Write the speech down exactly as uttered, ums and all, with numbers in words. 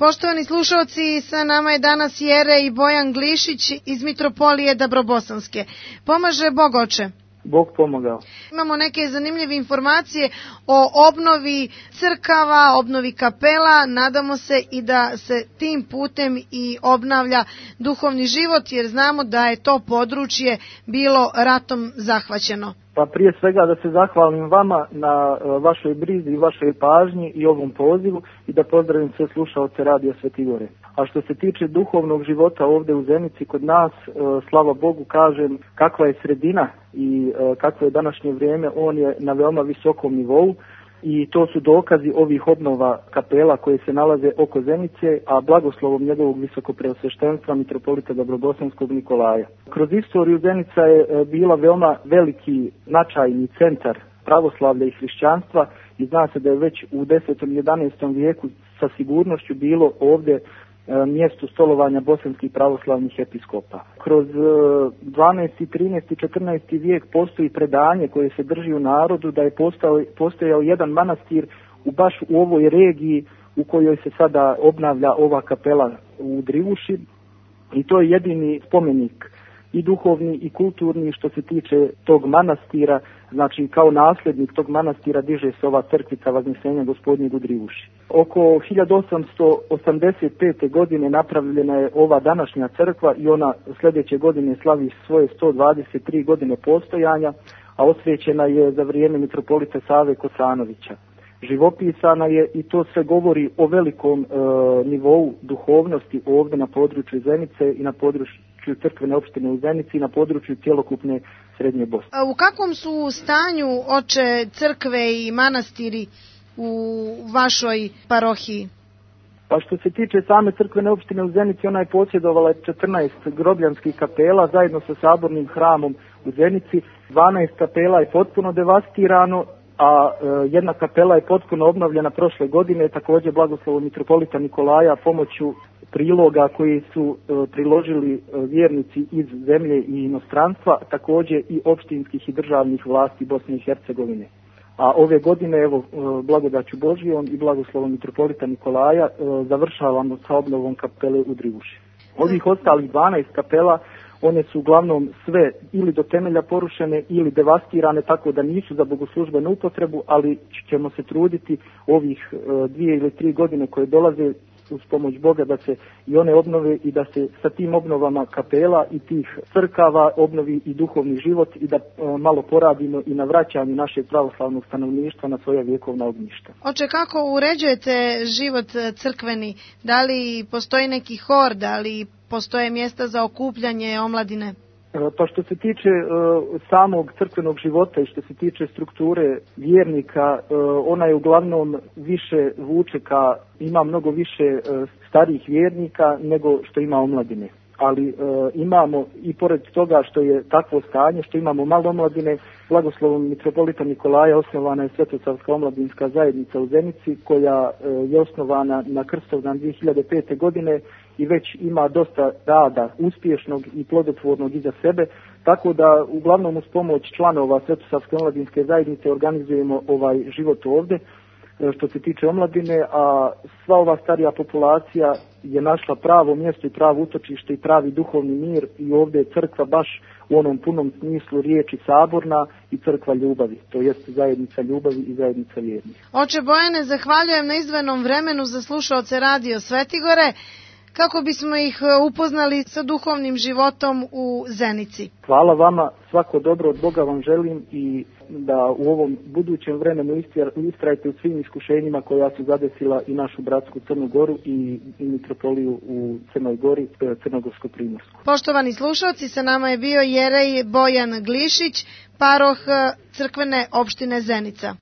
Poštovani slušalci, sa nama je danas Jere i Bojan Glišić iz Mitropolije Dabrobosanske. Pomaže Bog, oče. Bog pomogao. Imamo neke zanimljive informacije o obnovi crkava, obnovi kapela. Nadamo se i da se tim putem i obnavlja duhovni život, jer znamo da je to područje bilo ratom zahvaćeno. Pa prije svega da se zahvalim vama na vašoj brizi i vašoj pažnji i ovom pozivu i da pozdravim sve slušaoce Radija Sveti Gore. A što se tiče duhovnog života ovdje u Zenici kod nas, slava Bogu kažem, kakva je sredina i kakvo je današnje vrijeme, on je na veoma visokom nivou i to su dokazi ovih obnova kapela koje se nalaze oko Zenice, a blagoslovom njegovog visokopreosveštenstva mitropolita Dabrobosanskog Nikolaja. Kroz istoriju Zenica je bila veoma veliki značajni centar pravoslavlja i hrišćanstva i zna se da je već u desetom i jedanaestom vijeku sa sigurnošću bilo ovdje mjesto stolovanja bosanskih pravoslavnih episkopa. Kroz dvanaesti, trinaesti, četrnaesti vijek postoji predanje koje se drži u narodu da je postao, postojao jedan manastir u baš u ovoj regiji u kojoj se sada obnavlja ova kapela u Drivuši i to je jedini spomenik i duhovni i kulturni što se tiče tog manastira, znači kao nasljednik tog manastira diže se ova crkvica Vaznjesenja Gospodnjeg u Drivuši. Oko hiljadu osamsto osamdeset pete. godine napravljena je ova današnja crkva i ona sljedeće godine slavi svoje sto dvadeset tri godine postojanja, a osvećena je za vrijeme mitropolita Save Kosanovića. Živopisana je i to sve govori o velikom e, nivou duhovnosti ovdje na području Zenice i na području crkvene opštine u Zenici i na području cjelokupne Srednje Bosne. A u kakvom su stanju, oče, crkve i manastiri u vašoj parohiji? Pa što se tiče same crkvene opštine u Zenici, ona je posjedovala četrnaest grobljanskih kapela zajedno sa sabornim hramom u Zenici. dvanaest kapela je potpuno devastirano, a e, jedna kapela je potpuno obnovljena prošle godine, također blagoslovom mitropolita Nikolaja pomoću priloga koji su e, priložili e, vjernici iz zemlje i inostranstva, također i opštinskih i državnih vlasti Bosne i Hercegovine. A ove godine, evo, e, blagodaću Božijom i blagoslovom mitropolita Nikolaja, e, završavamo sa obnovom kapele u Drivuši. Ovih ostalih dvanaest kapela, one su uglavnom sve ili do temelja porušene ili devastirane, tako da nisu za bogoslužbenu upotrebu, ali ćemo se truditi ovih e, dvije ili tri godine koje dolaze uz pomoć Boga da se i one obnove i da se sa tim obnovama kapela i tih crkava obnovi i duhovni život i da e, malo poradimo i na vraćanju našeg pravoslavnog stanovništva na svoja vjekovna ognjišta. Oče, kako uređujete život crkveni? Da li postoji neki hor, da li postoje mjesta za okupljanje omladine? Pa što se tiče uh, samog crkvenog života i što se tiče strukture vjernika, uh, ona je uglavnom više vuče ka, ima mnogo više uh, starijih vjernika nego što ima omladine. Ali uh, imamo i pored toga što je takvo stanje, što imamo malo omladine, blagoslovom mitropolita Nikolaja osnovana je Svetosavska omladinska zajednica u Zenici koja uh, je osnovana na Krstovdan dvije hiljade pete. godine i već ima dosta rada uspješnog i plodotvornog iza sebe, tako da uglavnom uz pomoć članova Svetosavske omladinske zajednice organizujemo ovaj život ovdje što se tiče omladine, a sva ova starija populacija je našla pravo mjesto i pravo utočište i pravi duhovni mir i ovdje je crkva baš u onom punom smislu riječi saborna i crkva ljubavi, to jest zajednica ljubavi i zajednica vjernih. Oče Bojane, zahvaljujem na izdvojenom vremenu za slušaoce Radio Sveti Gore, kako bismo ih upoznali sa duhovnim životom u Zenici. Hvala vama, svako dobro od Boga vam želim i da u ovom budućem vremenu istrajte u svim iskušenjima koja su zadesila i našu bratsku Crnu Goru i, i mitropoliju u Crnoj Gori, Crnogorsko-Primorsku. Poštovani slušalci, sa nama je bio Jerej Bojan Glišić, paroh crkvene opštine Zenica.